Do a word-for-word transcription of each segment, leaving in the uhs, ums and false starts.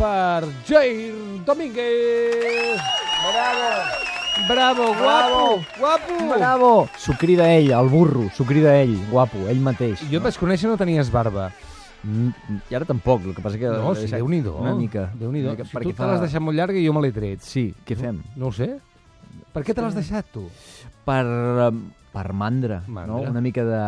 per Jair Domínguez. Bravo! Bravo, guapo, guapo. Bravo! S'ho crida ell, el burro, s'ho crida ell, guapo, ell mateix. Jo et vaig conèixer no tenies barba. Mm, I ara tampoc, el que passa que... No, sí, Déu-n'hi-do. Una mica. Déu-n'hi-do. Una mica, Si tu perquè te l'has deixat molt llarga i jo me l'he tret. Sí, què fem? No ho sé. Per què te l'has deixat, tu? Per, um, per mandra, Mandra. no? Una mica de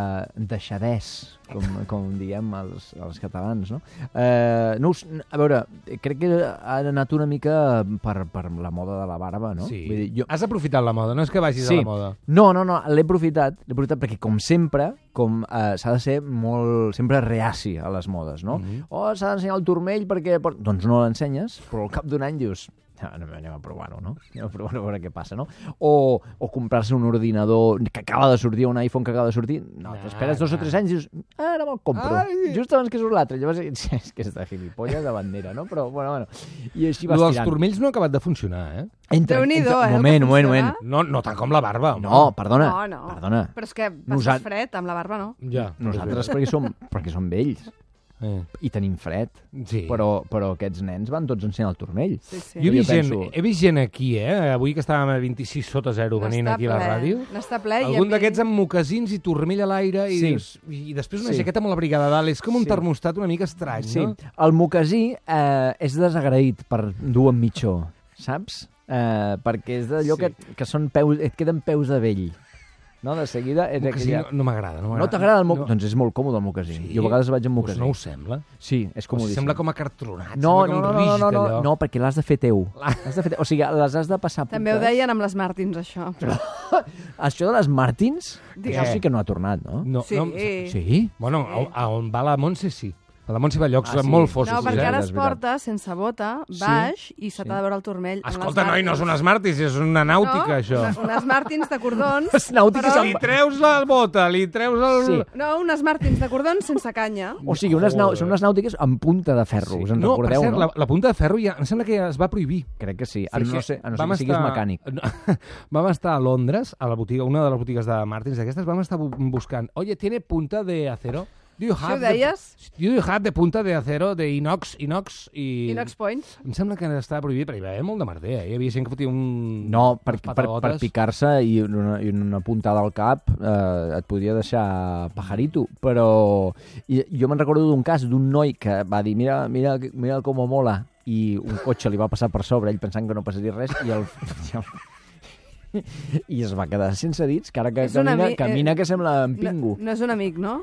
deixadès, com, com diem els, els catalans, no? Eh, no us, a veure, crec que ha anat una mica per, per la moda de la barba, no? Sí. Vull dir, jo... Has aprofitat la moda, no és que vagis Sí. a la moda. No, no, no, l'he aprofitat, l'he aprofitat perquè, com sempre, com eh, s'ha de ser molt, sempre reaci a les modes, no? Mhm. Oh, s'ha d'ensenyar el turmell perquè... Doncs no l'ensenyes, però al cap d'un any dius... Anem, anem a provar-ho, no? Anem a provar-ho a veure què passa, no? O, o comprar-se un ordinador que acaba de sortir, un iPhone que acaba de sortir. No, t'esperes dos o tres anys i dius, ah, ara me'l compro. Ai. Just abans que surt l'altre. Llavors, és que és de gilipolles de bandera, no? Però, bueno, bueno. I així vas Lo dels tirant. turmells no ha acabat de funcionar, eh? Entra, Déu-n'hi-do, entra- eh, el Moment, que moment, funciona. moment. No, no tant com la barba, home. No, perdona. No, no. Perdona. Però és que passes Nosat- fred, amb la barba no. Ja. Nosaltres perquè som, perquè som vells Eh. i tenim fred. Sí. Però, però aquests nens van tots ensenyant el turmell. Sí, sí. Jo he vist, Jo gent, penso- he vist gent aquí, eh? Avui que estàvem a vint-i-sis sota zero venint N'està aquí a la ple, ràdio. N'està ple. i a Algun mi- d'aquests amb mocasins i turmell a l'aire i, Sí. dius, i després una Sí. jaqueta amb la brigada a dalt. És com un Sí. termostat una mica estrany, Sí, no? el mocasí eh, és desagraït per dur amb mitjó, saps? Eh, perquè és d'allò Sí. que, que són peus, et queden peus de vell. No, de seguida... És Mocasí aquella... no, no m'agrada. No, No m'agrada. t'agrada el mocasí? No. Doncs és molt còmode el mocasí. Sí? Jo a vegades vaig amb Pues mocasí. no ho sembla. Sí, és Pues comodíssim. sembla com acartronat. No, sembla no, com no, no, rígid, no, no, allò. no, perquè l'has de fer teu. L'has de fer teu. O sigui, les has de passar puntes. També ho deien amb les Martins, això. Això de les Martins, Digues. això sí que no ha tornat, no? No, Sí. no, Sí? Bueno, a, a on va la Montse, sí. A la Montse va a llocs Ah, sí. molt fossos. No, sí, perquè eh? ara és es veritat. porta sense bota, Sí? baix, i se Sí. t'ha de veure el turmell. amb les Escolta, noi, no Martins. són unes Martins, és una nàutica, no, això. Una, unes Martins de cordons. Les nàutiques però- Li treus la bota, li treus el... Sí. No, unes Martins de cordons sense canya. O sigui, unes nau... Joder. són unes nàutiques amb punta de ferro, us en no, recordeu, per cert, no? la, la punta de ferro ja, em sembla que ja es va prohibir. Crec que sí, a no Perquè ser, a no ser vam que siguis estar- mecànic. No, vam estar a Londres, a la botiga, una de les botigues de Martins d'aquestes, vam estar bu- buscant, oye, ¿tiene punta de acero? Do you Això have ho deies? De, do you have de punta de acero, de inox, inox i... Inox Points. Em sembla que estava prohibit, però hi va haver molt de merder, eh? Hi havia gent que fotia un... No, per, unes per, per patagotes. picar-se i una, i una puntada al cap eh, et podia deixar pajarito, però i, jo me'n recordo d'un cas d'un noi que va dir mira, mira, mira com mola i un cotxe li va passar per sobre, ell pensant que no passaria res i el... I el i es va quedar sense dits, que ara que És un camina, ami- camina eh, que sembla en No, pingo. no és un amic, no?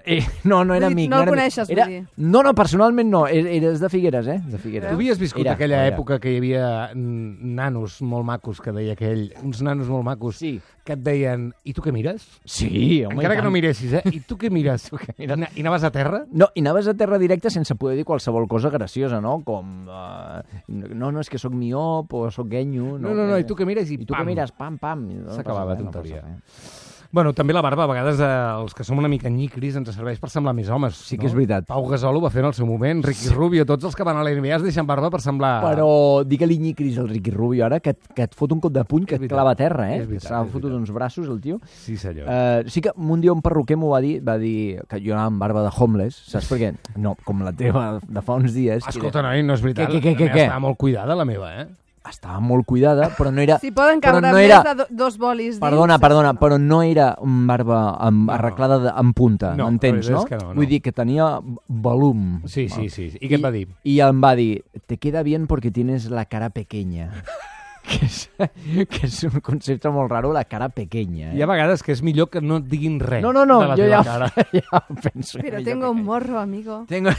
Eh, no, no era Vull dir, amic. no el era amic. coneixes, vull era... dir. No, no, personalment no. Era, eres de Figueres, eh? De Figueres. Tu havies viscut Era, aquella era. època que hi havia mm, nanos molt macos, que deia aquell, uns nanos molt macos, Sí. que et deien, i tu què mires? Sí, home, Encara i que tant. no miressis, eh? I tu què mires? I na- I anaves a terra? No, i anaves a terra directa sense poder dir qualsevol cosa graciosa, no? Com, uh, no, no, és que sóc miop o sóc guenyo. No, no, no, i tu què mires? I, I tu pam. què mires? Pam, pam. I no S'acabava passa la res, no tonteria. passa res. Bueno, també la barba, a vegades, eh, els que som una mica nyicris, ens serveix per semblar més homes. Sí que és veritat. Pau Gasol ho va fer en el seu moment, Ricky Rubio, tots els que van a la N B A es deixen barba per semblar... Però digue-li nyicris al Ricky Rubio ara, que, et- que et fot un cop de puny que És et veritat. clava a terra, eh? És veritat, que s'ha és fotut veritat. uns braços, el tio. Sí, senyor. Uh, sí que un dia un perruquer m'ho va dir, va dir que jo anava amb barba de homeless, saps per què? No, com la teva de fa uns dies. que Escolta, era- noi, no és veritat. Què, què, què, La meva què? Estava molt cuidada, la meva, eh? Estava molt cuidada, però no era... Si poden però caure no més era... de do, dos bolis dins... Perdona, perdona, però no era un barba amb, No. arreglada de, en punta, No, m'entens, la no? veritat és que no, no. Vull dir que tenia volum. Sí, sí, sí. I què et va dir? I em va dir, te queda bien porque tienes la cara pequeña. que, és, que és un concepte molt raro, la cara pequeña. Eh? Hi ha vegades que és millor que no et diguin res No, no, no, de la jo teva ja, cara. ja ho penso. Però millor tengo que- un morro, amigo. Tengo...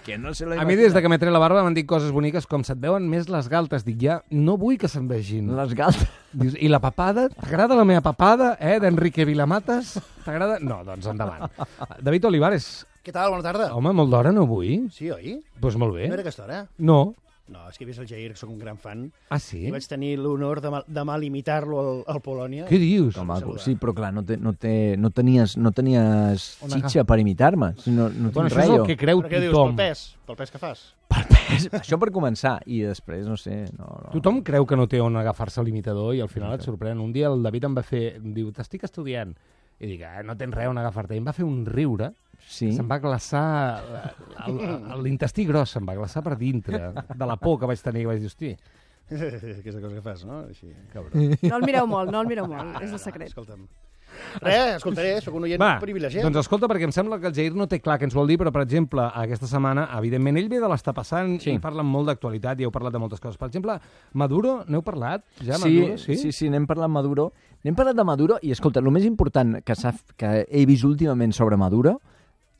que no se lo A mi, des de que m'he tret la barba, m'han dit coses boniques com se't veuen més les galtes. Dic, ja, no vull que se'n vegin. Les galtes... Dius, i la papada? T'agrada la meva papada, eh, d'Enrique Vilamatas? T'agrada? No, doncs endavant. David Olivares. Què tal? Bona tarda. Home, molt d'hora no vull? Sí, oi? Doncs pues molt bé. No era aquesta hora? No. No, és que he vist el Jair, que sóc un gran fan, Ah, sí? i vaig tenir l'honor de, mal, de mal imitar-lo al, al Polònia. Què dius? Que maco. saludar. Sí, però clar, no, te, no, te, no tenies, no tenies Una xitxa per imitar-me. No, Bueno, no tinc això res, és el jo. que creu Però què dius, pel tothom. pes? Pel pes que fas? Per pes. Això per començar. I després, no sé... No, no. Tothom creu que no té on agafar-se l'imitador i al final et sorprèn. Un dia el David em va fer... Em diu, t'estic estudiant. I dic, ah, no tens res on agafar-te. I em va fer un riure Sí. Se'm va glaçar... el- el- L'intestí gros se'm va glaçar per dintre, de la por que vaig tenir, que vaig dir, hosti, Aquesta cosa que fas, no? Així. cabró. No el mireu molt, no el mireu molt, és el secret. Escolta'm. Res, escoltaré, sóc un oient Va, privilegiat. doncs escolta, perquè em sembla que el Jair no té clar què ens vol dir, però, per exemple, aquesta setmana, evidentment, ell ve de l'estar passant Sí. i parlen molt d'actualitat i heu parlat de moltes coses. Per exemple, Maduro, n'heu parlat? Ja, Sí, Maduro? sí, sí, sí, n'hem parlat Maduro. N'hem parlat de Maduro i, escolta, el més important que, s'ha, que he vist últimament sobre Maduro,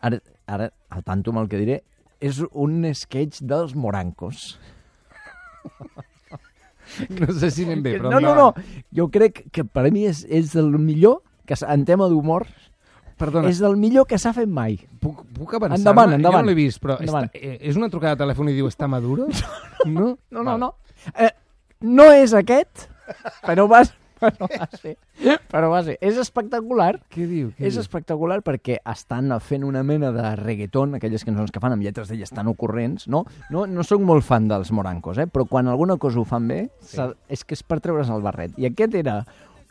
ara, ara al tanto amb el que diré, és un sketch dels morancos. No sé si anem bé, però... no, no, no, jo crec que per a mi és, és el millor, que s- en tema d'humor, Perdona, és el millor que s'ha fet mai. puc, puc avançar? Endavant, Jo endavant. no l'he vist, però Endavant. està, eh, és una trucada de telèfon i diu, està Maduro? No? No, no, Val. no. Eh, no és aquest, però va, però va ser. Però va ser. És espectacular. Què diu? Què És diu? espectacular perquè estan fent una mena de reggaeton, aquelles cançons que fan amb lletres d'elles tan ocorrents, no? No, no soc molt fan dels morancos, eh? Però quan alguna cosa ho fan bé, sí. és que és per treure's el barret. I aquest era...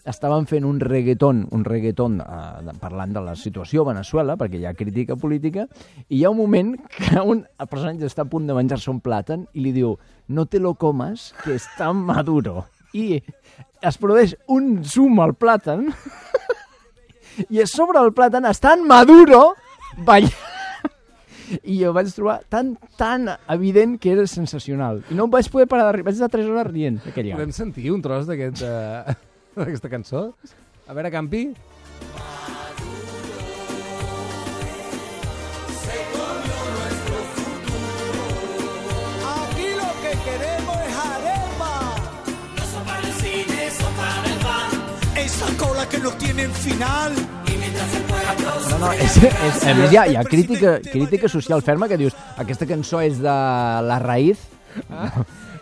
Estaven fent un reggaeton, un reggaeton eh, parlant de la situació a Venezuela, perquè hi ha crítica política, i hi ha un moment que un personatge està a punt de menjar-se un plàtan i li diu no te lo comas, que està maduro. I es produeix un zoom al plàtan i a sobre el plàtan està en Maduro ballant. I jo vaig trobar tan, tan evident que era sensacional. I no em vaig poder parar de riure. Vaig estar tres hores rient aquell Podem any. sentir un tros d'aquest, eh, d'aquesta cançó? A veure, Campi. Aquí lo que queremos es arepa. No son para el cine, son para el pan. Esa cola que no tienen final. Y mientras el pueblo No, no, és, és, a més, hi ha, hi ha crítica, crítica social ferma que dius aquesta cançó és de La Raïz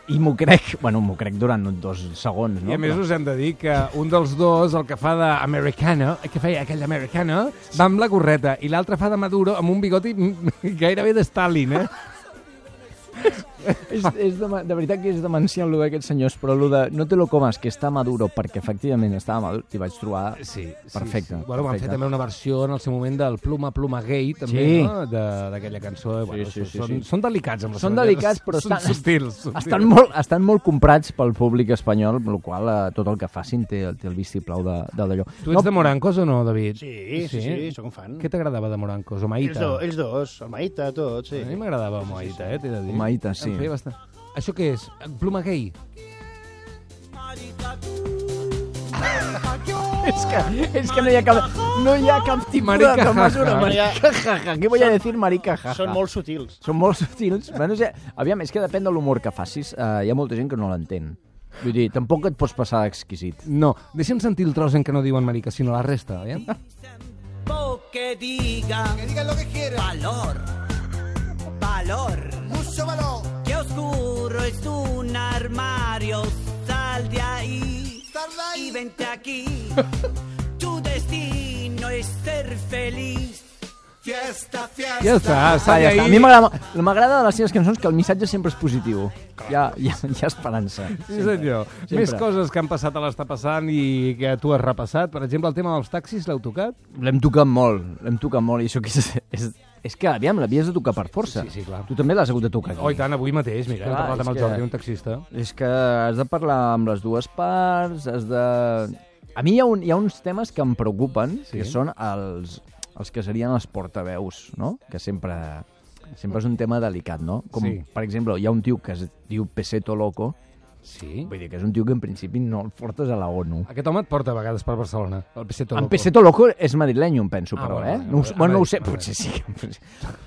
i m'ho crec, bueno, m'ho crec durant dos segons, no? I a més Però- us hem de dir que un dels dos, el que fa d'americano, que feia aquell americano, va amb la gorreta, i l'altre fa de Maduro amb un bigoti gairebé de Stalin, eh? és, és de, de veritat que és demencial el d'aquests senyors, però el de no te lo comas, que està maduro, perquè efectivament estava maduro, t'hi vaig trobar Sí, perfecte. Sí. Bueno, van fer perfecte. també una versió en el seu moment del Pluma Pluma Gay, també, Sí. no? De- d'aquella cançó. Eh? Bueno, sí, sí, són, sí. són delicats amb les Són seves delicats, lletres. però són estan- subtils, subtils. Estan molt, estan molt comprats pel públic espanyol, amb la qual cosa tot el que facin té, té el vistiplau de, de d'allò. Tu ets de Morancos o no, David? Sí, sí, sí, sóc un fan. Què t'agradava de Morancos? O Ells, Maïta? do, ells dos, el Maïta, tot, sí. A mi m'agradava Maïta, eh, t'he de dir. Maïta, sí. Em feia bastant... Això què és? Pluma Gay? És que, és que no hi ha cap, no hi ha cap tipus Marica de jaja. mesura. Marica jaja. Què voy a decir marica jaja? Són molt sutils. Són molt sutils. Bueno, ja, aviam, és que depèn de l'humor que facis. Uh, hi ha molta gent que no l'entén. Vull dir, tampoc et pots passar d'exquisit. No, deixa'm sentir el tros en què no diuen marica, sinó la resta, eh? que digan, Que digan lo que quieran. valor, valor. Mucho valor. Qué oscuro es un armario, sal de ahí Sal de ahí. y vente aquí. Tu destino es ser feliz. Fiesta, fiesta. Ja està, Ah, està ja està. A ahí. mi m'agrada m'agrada de les seves cançons que el missatge sempre és positiu. Hi ha, hi ha, hi ha esperança. Sí, senyor. Sempre. Més coses que han passat a l'Està passant i que tu has repassat. Per exemple, el tema dels taxis, l'heu tocat? L'hem tocat molt, l'hem tocat molt, i això que és, és, és que, aviam, l'havies de tocar per força. Sí, sí, clar. Tu també l'has hagut de tocar aquí. Oh, i tant, avui mateix, mira, hem Clar, parlat és amb el que- Jordi, un taxista. És que has de parlar amb les dues parts, has de... A mi hi ha, un, hi ha uns temes que em preocupen, Sí. que són els, els que serien els portaveus, no? Que sempre, sempre és un tema delicat, no? Com, Sí. per exemple, hi ha un tio que es diu Peseto Loco, Sí? vull dir que és un tio que en principi no el portes a la ONU. Aquest home et porta a vegades per Barcelona, el Peseto En Loco. Peseto Loco és madrileny, em penso, Ah, però, bueno, eh? bueno, No, ho- a bueno, no ho veure, sé, a veure. potser sí.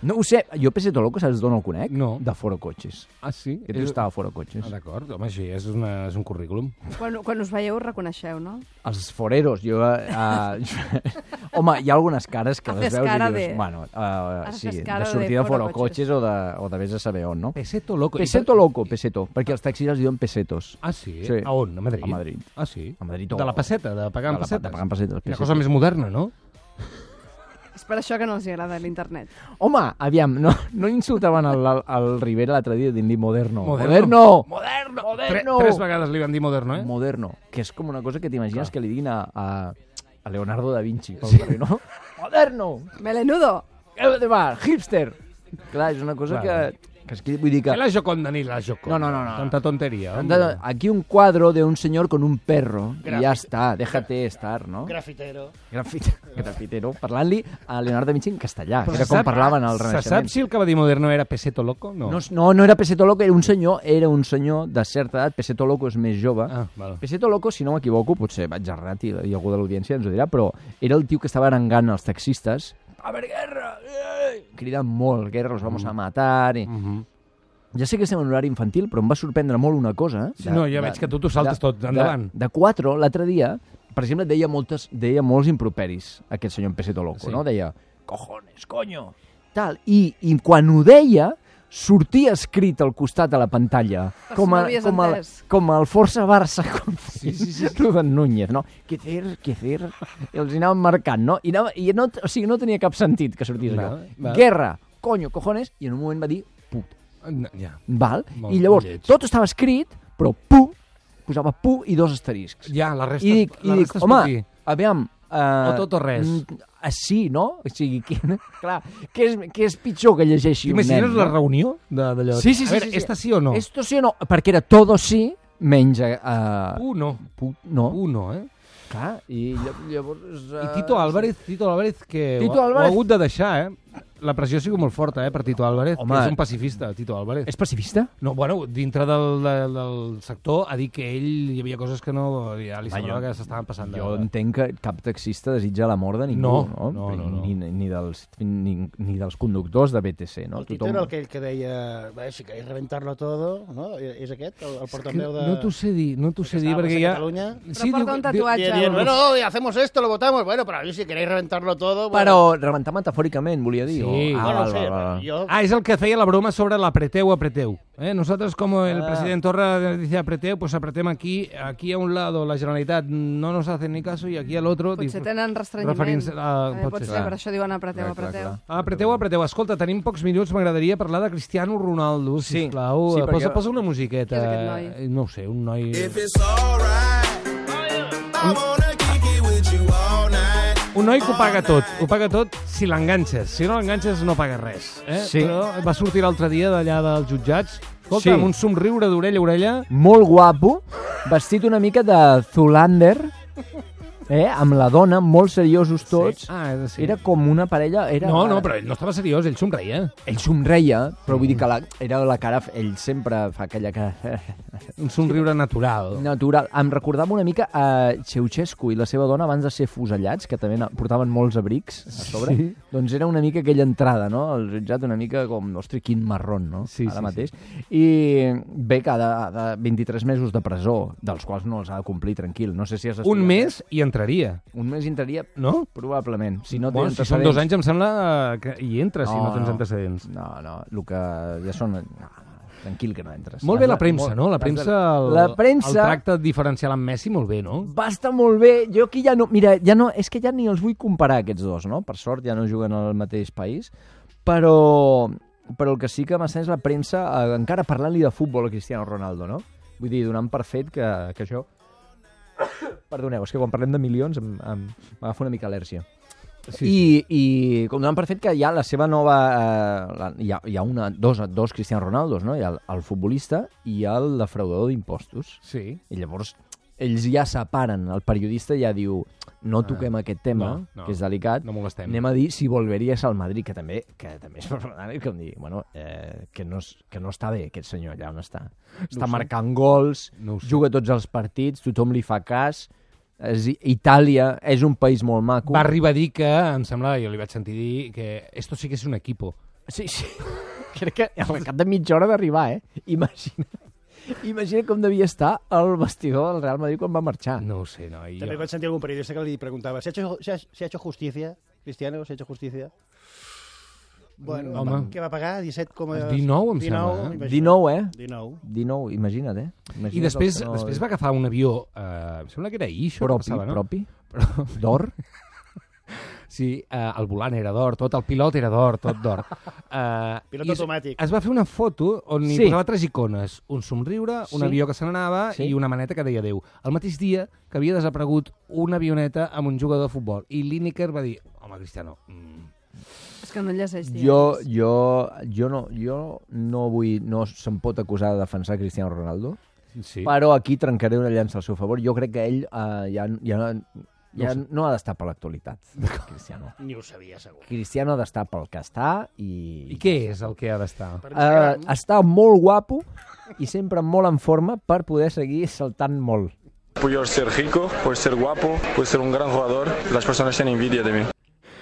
No ho sé. Jo Peseto Loco, saps d'on el conec? No. De Foro Cotxes. Ah, sí? Aquest tio estava a Foro Cotxes. Ah, d'acord, home, sí, és, una, és un currículum. Quan, quan us veieu, us reconeixeu, no? Els foreros, jo... Uh, home, hi ha algunes cares que les Haces veus i cara dius... de- Bueno, uh, Haces sí, de cara de sortir de Foro Foro Cotxes o de, o de vés a saber on, no? Peseto Loco. Peseto Loco, peseto, perquè els taxis es diuen pesetos. Ah, sí? Sí. A on? A Madrid? A Madrid. Ah, sí? A Madrid o- De la peseta, de pagar en De la- pessetes. de pagar en pessetes, Una pessetes. cosa més moderna, no? És per això que no els agrada l'internet. Home, aviam, no, no insultaven al, al, al Rivera l'altre dia dient-li moderno. Moderno. Moderno! Tre Moderno! tres vegades li van dir moderno, eh? Moderno, que és com una cosa que t'imagines Clar. que li diguin a, a, a Leonardo da Vinci pel carrer, no? Moderno! Melenudo! de bar, hipster. Clar, és una cosa Claro. que... que es, vull dir que... Que la Joconda ni la Joconda. No, no, no, no. Tanta tontería. Anda, aquí un cuadro de un señor con un perro Grafit. y ya está, déjate estar, no? Grafitero. Grafit, grafitero, parlant-li a Leonardo da Vinci en castellà, que Però era se com sap- parlaven al Se sap Renaixement. si el cavadí moderno era Peseto Loco? No. No, no, no era Peseto Loco, era un senyor, era un senyor de certa edat, Peseto Loco és més jove. Ah, val. Peseto Loco, si no m'equivoco, potser vaig errat i, i algú de l'audiència ens ho dirà, però era el tio que estava arengant els taxistes. A ver, guerra! Eh! Cridant molt, guerra, los vamos a matar... I... Mhm. Ja sé que estem en horari infantil, però em va sorprendre molt una cosa. Sí, no, ja veig que tu t'ho saltes tot, endavant. De, de quatre, l'altre dia, per exemple, deia, moltes, deia molts improperis, aquest senyor en Peseto Loco, Sí. no? Deia, cojones, coño, tal. I, I quan ho deia, sortia escrit al costat de la pantalla, Per com, si no a, havies com, a, entès. com el Força Barça, com Sí, sí, sí. Rubén Núñez, no? Què fer, què fer? I els hi anaven marcant, no? I, anava, i no, o sigui, no tenia cap sentit que sortís allò. Val, val. Guerra, coño, cojones, i en un moment va dir put. No, ja. Val? Molt I llavors, lleig. tot estava escrit, però pu, posava pu i dos asteriscs. Ja, la resta, I dic, la i dic resta es home, pot dir. aviam... Uh, O tot o res. mm, uh, sí, no? O sigui, que, clar, què és, què és pitjor que llegeixi un nen? T'imagines la no? reunió de- d'allò? Sí, sí, sí. A veure, sí, sí. esta sí o no? Esto sí o no? Perquè era todo sí, menys... Uh, U no. pu, no. U no, eh? Clar, i lla- llavors... Uh, I Tito Álvarez, Tito Álvarez que Tito ho, ha- Álvarez- ho ha hagut de deixar, eh? La pressió ha sigut molt forta, eh, per Tito Álvarez, Home. que és un pacifista, Tito Álvarez. És pacifista? No, bueno, dintre del, del, del sector ha dit que ell hi havia coses que no... Ja li Va, semblava jo- que s'estaven passant. De... Jo entenc que cap taxista desitja la mort de ningú, No, no? no, no, no. Ni, ni, dels, ni, ni dels conductors de B T C, no? El Tito era aquell que deia, "Bé, si queréis reventarlo todo", no? És aquest, el, el És que portaveu de... no t'ho sé dir, no t'ho sé dir, estava perquè a ja... Catalunya. Però porta un tatuatge. Y dient, bueno, y hacemos esto, lo votamos, bueno, pero a mí si queréis reventarlo todo... Bueno, Però rebentar metafòricament, volia dir. Sí. O... Ah, bueno, val, no sé, val, val. yo... Ah, es el que hacía la broma sobre el apreteu, apreteu. ¿eh? Nosotros, como el Ah. presidente Torra dice apreteu, pues apretemos aquí, aquí a un lado la Generalitat no nos hacen ni caso y aquí al otro... Potser dis- tenen restrenyiment. referint-se a- Eh, pot pot ser. ser, per això diuen apreteu, Clar, clar, apreteu. clar. Ah, apreteu, apreteu. Escolta, tenim pocs minuts, m'agradaria parlar de Cristiano Ronaldo, Sí. sisplau. Sí, Sí, perquè- posa, posa una musiqueta. Qui és aquest noi? Eh, No ho sé, un noi... If it's alright, I wanna kick it with you all night. Un noi que ho paga tot, ho paga tot si l'enganxes. Si no l'enganxes no paga res. Eh? Sí. Però va sortir l'altre dia d'allà dels jutjats, escolta, Sí. amb un somriure d'orella a orella. Molt guapo, vestit una mica de Zoolander, eh? Amb la dona, molt seriosos tots. Ah, és sí. Era com una parella... Era... No, no, però ell no estava seriós, ell somreia. Ell somreia, però vull dir que la, era la cara... Ell sempre fa aquella cara Un somriure natural. natural. Em recordava una mica a Ceausescu i la seva dona abans de ser fusellats, que també na- portaven molts abrics a sobre. Sí. Doncs era una mica aquella entrada, no? El jutjat una mica com, ostres, quin marrón, no? Sí, Ara sí, mateix. I bé, cada de vint-i-tres mesos de presó, dels quals no els ha de complir, tranquil. No sé si has Un estudiat, mes i entraria, eh? Un mes entraria, no? probablement. Si no Bueno, tens si són dos anys antecedents- em sembla que hi entres si no tens antecedents. No, no, el que ja són... No, no, tranquil que no entres. Molt bé Has la de- premsa, molt- no? La has de- premsa, el, La premsa... el tracte diferencial amb Messi, molt bé, no? Va estar molt bé. Jo aquí ja no... Mira, ja no, és que ja ni els vull comparar, aquests dos, no? Per sort ja no juguen al mateix país. Però, però el que sí que m'està és la premsa, eh, encara parlant-li de futbol a Cristiano Ronaldo, no? Vull dir, donant per fet que, que això... Perdoneu, és que quan parlem de milions em, em, m'agafa una mica al·lèrgia. Sí, I, i com donant per fet que hi ha la seva nova... Eh, la, hi, ha, hi ha una, dos, dos Cristiano Ronaldos, no? Hi ha el, el futbolista i el defraudador d'impostos. Sí. I llavors ells ja separen, el periodista ja diu no toquem Ah, aquest tema, no, no, que és delicat, no molestem. anem a dir si volveries al Madrid, que també, que també és problemàtic, com dir, bueno, eh, que, no, és- que no està bé aquest senyor allà on està. Està sé. marcant gols, No ho sé. juga tots els partits, tothom li fa cas, és, Itàlia és un país molt maco. Va arribar a dir que, em sembla, jo li vaig sentir dir, que esto sí que és un equipo. Sí, sí. Crec que al cap de mitja hora d'arribar, eh? Imagina. Imagina com devia estar el vestidor del Real Madrid quan va marxar. No ho sé, no. I També jo... vaig sentir algun periodista que li preguntava, ¿se ha hecho, se ha, se ha hecho justicia, Cristiano? ¿Se ha hecho justicia? Bueno, Home. va, què va pagar? disset coma... dinou, em sembla, eh? imagina't. dinou, eh? dinou. dinou, imagina't, eh? Imagina't I després, els que no- després va agafar un avió, eh, em sembla que era ahir, això que propi, passava, no? propi, Però, d'or. sí, eh, el volant era d'or, tot, el pilot era d'or, tot d'or. Eh, Pilot i es- automàtic. Es va fer una foto on hi Sí. posava tres icones, un somriure, un Sí. avió que se n'anava Sí. i una maneta que deia adéu. El mateix dia que havia desaparegut una avioneta amb un jugador de futbol. I Lineker va dir, home, Cristiano, mm, És que no llegeix diaris. Jo, jo, jo, no, jo no vull... No se'm pot acusar de defensar Cristiano Ronaldo, Sí. però aquí trencaré una llança al seu favor. Jo crec que ell uh, ja, ja, ja no ha d'estar per l'actualitat, Cristiano. Ni ho sabia, segur. Cristiano ha d'estar pel que està i... I què és el que ha d'estar? Per Uh, Instagram. està molt guapo i sempre molt en forma per poder seguir saltant molt. Puedo ser rico, puedo ser guapo, puedo ser un gran jugador. Las personas tienen envidia de mí.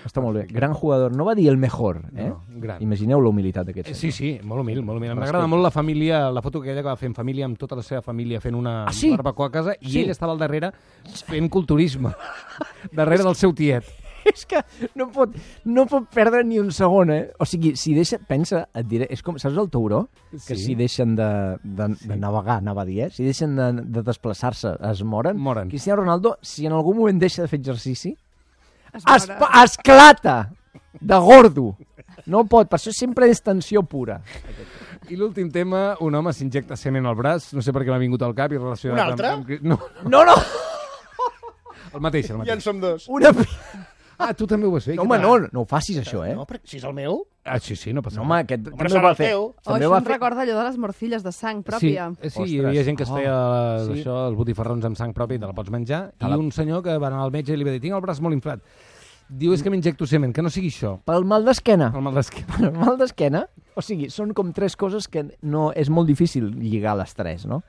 Està molt bé. Gran jugador. No va dir el mejor, eh? No, gran. Imagineu la humilitat d'aquest Eh, Sí, sí, molt humil, molt humil. Respecte. M'agrada molt la família, la foto aquella que va fer en família, amb tota la seva família fent una Ah, sí? barbacoa a casa, i Sí. ell estava al darrere fent culturisme, darrere del seu tiet. És que no pot, no pot perdre ni un segon, eh? O sigui, si deixa... Pensa, et diré... És com, saps el tauró? Que Sí. si deixen de, de, de navegar, anava a dir, eh? Si deixen de, de desplaçar-se, es moren. Moren. Cristiano Ronaldo, si en algun moment deixa de fer exercici, Es es, veurà. esclata de gordo. No pot, per això sempre és tensió pura. I l'últim tema, un home s'injecta semen al braç, no sé per què m'ha vingut al cap i relacionat Un altre? amb... amb... No, No, no! el mateix, el Ja en mateix. som dos. Una... Ah, tu també ho vas fer? No, Què home, tal? no, no ho facis, això, eh? No, però si és el meu... Ah, sí, sí, no passa No, res. home, aquest Home, també serà ho va el fer. teu. Oh, També això va em fer... recorda allò de les morcilles de sang pròpia. Sí, eh, sí, Ostres. hi havia gent que es Oh. feia Sí. això, els botifarrons amb sang pròpia i te la pots menjar, Te i la- un senyor que va anar al metge i li va dir, tinc el braç molt inflat. Diu, és que m'injecto semen, que no sigui això. Pel mal d'esquena. El mal d'esquena. El mal d'esquena, o sigui, són com tres coses que no és molt difícil lligar les tres, no?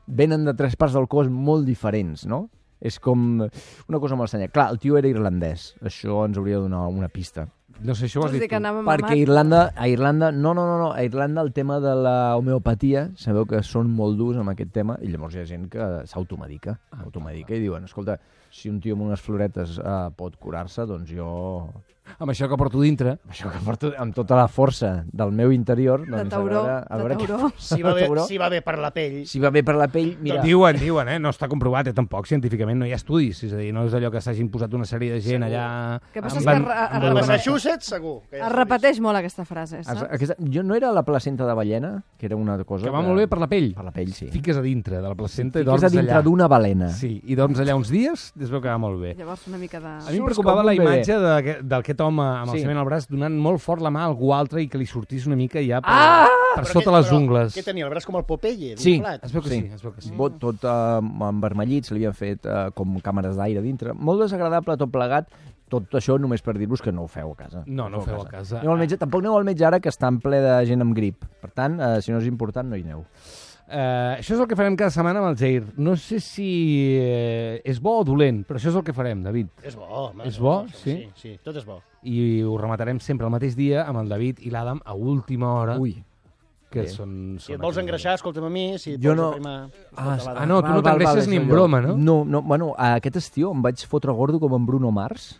Venen de tres parts del cos molt diferents, no? És com una cosa molt estranya. Clar, el tio era irlandès. Això ens hauria de donar una pista. No sé, això ho has Vols dir dit que tu. anava Perquè mamat? Irlanda, a Irlanda, no, no, no, no, a Irlanda el tema de la homeopatia, sabeu que són molt durs amb aquest tema, i llavors hi ha gent que s'automedica, automedica i diuen, escolta, si un tio amb unes floretes eh, pot curar-se, doncs jo, Amb això que porto dintre. això que porto amb tota la força del meu interior, doncs tauró, a veure, a de veure tauró. què- Si va, bé, tauró. si va bé per la pell. Si va bé per la pell, mira... Diuen, diuen, eh? No està comprovat, eh? Tampoc, científicament, no hi ha estudis. És a dir, no és allò que s'hagin posat una sèrie de gent allà... Que passa amb és que van- a- a- amb a A una- Massachusetts, segur. Que ja Es s'ha repeteix molt aquesta frase, Es- saps? Aquesta, jo no era la placenta de ballena, que era una cosa... Que va molt bé per la pell. Per la pell, sí. Fiques a dintre de la placenta i Fiques dorms a dintre allà. d'una balena. Sí, i dorms allà uns dies, es veu que va molt bé. Llavors una mica de... A mi em Surts preocupava com la un bebè. imatge de, d'aquest home amb el Sí. semen al braç donant molt fort la mà a algú altre i que li sortís una mica ja per, Ah! per Però sota què- les però ungles. Què tenia, el braç com el Popeye, Sí. d'inflat? Es veu que sí, Sí. es veu que sí. Bot tot eh, envermellit, se li havien fet eh, com càmeres d'aire dintre. Molt desagradable tot plegat. Tot això només per dir-vos que no ho feu a casa. No, no ho feu a casa. Aneu al metge, tampoc aneu al metge ara que està en ple de gent amb grip. Per tant, eh, si no és important, no hi aneu. Uh, això és el que farem cada setmana amb el Jair. No sé si eh, és bo o dolent, però això és el que farem, David. És bo, home. És bo, sí? Sí, sí, tot és bo. I ho rematarem sempre el mateix dia amb el David i l'Adam a última hora, Ui. que bé. són... Si són et vols aquests engreixar, escolta'm a mi, si et Jo vols no- aprimar... Ah, escolta, ah, no, tu no t'engreixes ni en és broma, allò. no? No, no, bueno, aquest estiu em vaig fotre gordo com en Bruno Mars,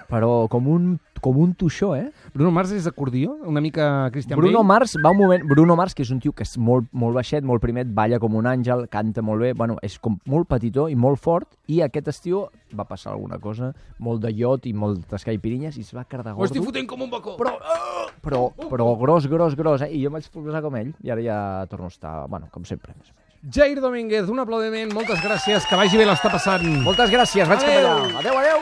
però com un, com un tuixó, eh? Bruno Mars és acordió? Una mica Christian Bruno Bale? Mars va un moment... Bruno Mars, que és un tio que és molt, molt baixet, molt primet, balla com un àngel, canta molt bé, bueno, és com molt petitó i molt fort, i aquest estiu va passar alguna cosa, molt de iot i moltes caipirinyes, i es va quedar Ho estic gordo. fotent com un bacó! Però, però, però gros, gros, gros, eh? I jo em vaig posar com ell, i ara ja torno a estar, bueno, com sempre. Més o menys. Jair Domínguez, un aplaudiment, moltes gràcies, que vagi bé l'està passant. Moltes gràcies, vaig cap Adéu. allà. Adéu, adéu.